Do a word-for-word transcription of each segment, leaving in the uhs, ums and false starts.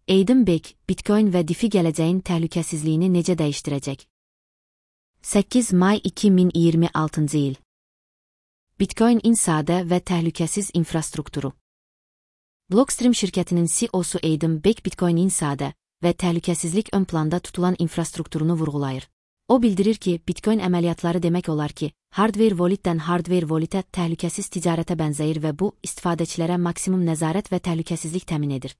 Adam Back, Bitcoin və DeFi gələcəyin təhlükəsizliyini necə dəyişdirəcək? səkkiz may iki min iyirmi altıncı il. Bitcoin-in sadə və təhlükəsiz infrastrukturu. Blockstream şirkətinin C E O-su Adam Back Bitcoin-in sadə və təhlükəsizlik ön planda tutulan infrastrukturunu vurğulayır. O bildirir ki, Bitcoin əməliyyatları demək olar ki, hardware wallet-dən hardware wallet-ə təhlükəsiz ticarətə bənzəyir və bu, istifadəçilərə maksimum nəzarət və təhlükəsizlik təmin edir.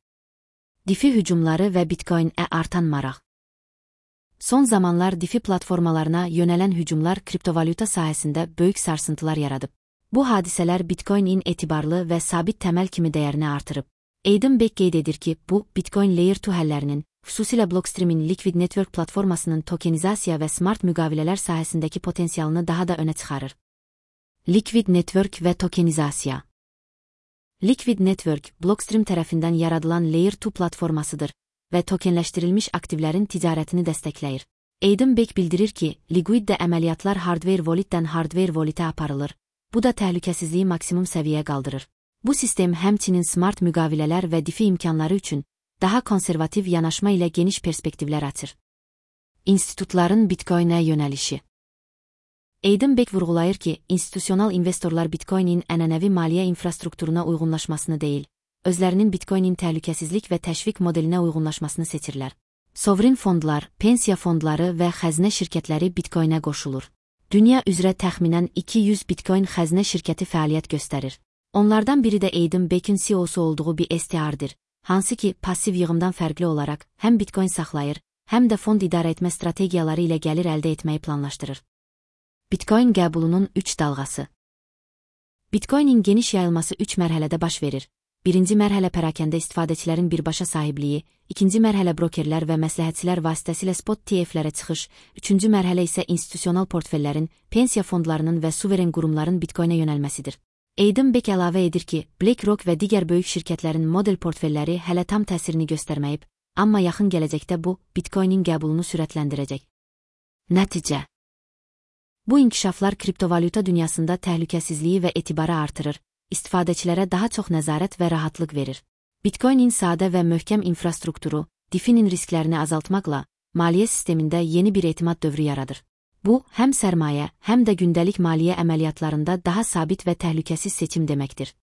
DeFi hücumları və Bitcoin-ə artan maraq. Son zamanlar DeFi platformalarına yönələn hücumlar kriptovalyuta sahəsində böyük sarsıntılar yaradıb. Bu hadisələr Bitcoin-in etibarlı və sabit təməl kimi dəyərini artırıb. Adam Back qeyd edir ki, bu, Bitcoin Layer iki həllərinin, xüsusilə Blockstream-in Liquid Network platformasının tokenizasiya və smart müqavilələr sahəsindəki potensialını daha da önə çıxarır. Liquid Network və tokenizasiya. Liquid Network, Blockstream tərəfindən yaradılan Layer iki platformasıdır və tokenləşdirilmiş aktivlərin ticarətini dəstəkləyir. Adam Back bildirir ki, Liquiddə əməliyyatlar hardware wallet-dən hardware wallet-ə aparılır. Bu da təhlükəsizliyi maksimum səviyyəyə qaldırır. Bu sistem həmçinin smart müqavilələr və DeFi imkanları üçün daha konservativ yanaşma ilə geniş perspektivlər açır. İnstitutların Bitcoin-ə yönəlişi. Adam Back vurğulayır ki, institusional investorlar Bitcoin-in ənənəvi maliyyə infrastrukturuna uyğunlaşmasını deyil, özlərinin Bitcoin-in təhlükəsizlik və təşviq modelinə uyğunlaşmasını seçirlər. Sovrin fondlar, pensiya fondları və xəzinə şirkətləri Bitcoin-ə qoşulur. Dünya üzrə təxminən iki yüz Bitcoin xəzinə şirkəti fəaliyyət göstərir. Onlardan biri də Adam Back'in C E O-su olduğu bir S T R-dir, hansı ki, passiv yığımdan fərqli olaraq həm Bitcoin saxlayır, həm də fond idarə etmə strategiyaları ilə gəlir əldə etməyi planlaşdırır. Bitcoin qəbulunun üç dalğası. Bitcoin-in geniş yayılması üç mərhələdə baş verir. Birinci mərhələ pərakəndə istifadəçilərin birbaşa sahibliyi, ikinci mərhələ brokerlər və məsləhətçilər vasitəsilə spot T F-lərə çıxış, üçüncü mərhələ isə institusional portfellərin, pensiya fondlarının və suveren qurumların Bitcoin-ə yönəlməsidir. Adam Back əlavə edir ki, BlackRock və digər böyük şirkətlərin model portfelləri hələ tam təsirini göstərməyib, amma yaxın gələcəkdə bu, Bitcoin-in qəbulunu sürətləndirəcək. Nəticə. Bu inkişaflar kriptovalyuta dünyasında təhlükəsizliyi və etibarı artırır, istifadəçilərə daha çox nəzarət və rahatlıq verir. Bitcoin-in sadə və möhkəm infrastrukturu, DeFi-nin risklərini azaltmaqla, maliyyə sistemində yeni bir etimad dövrü yaradır. Bu, həm sərmayə, həm də gündəlik maliyyə əməliyyatlarında daha sabit və təhlükəsiz seçim deməkdir.